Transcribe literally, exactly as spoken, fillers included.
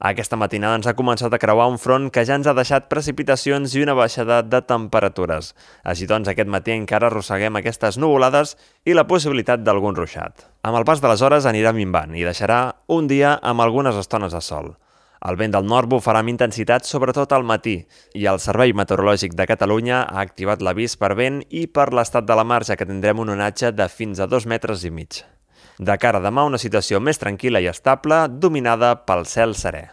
Aquesta matinada ens ha començat a creuar un front que ja ens ha deixat precipitacions i una baixada de temperatures. Així doncs, aquest matí encara arrosseguem aquestes nuvolades i la possibilitat d'algun ruixat. Amb el pas de les hores anirà minvant i deixarà un dia amb algunes estones de sol. El vent del nord bufarà amb intensitat sobretot al matí i el Servei Meteorològic de Catalunya ha activat l'avís per vent i per l'estat de la mar, ja que tindrem un onatge de fins a dos metres i mig. De cara a demà, una situació més tranquil·la i estable, dominada pel cel serè.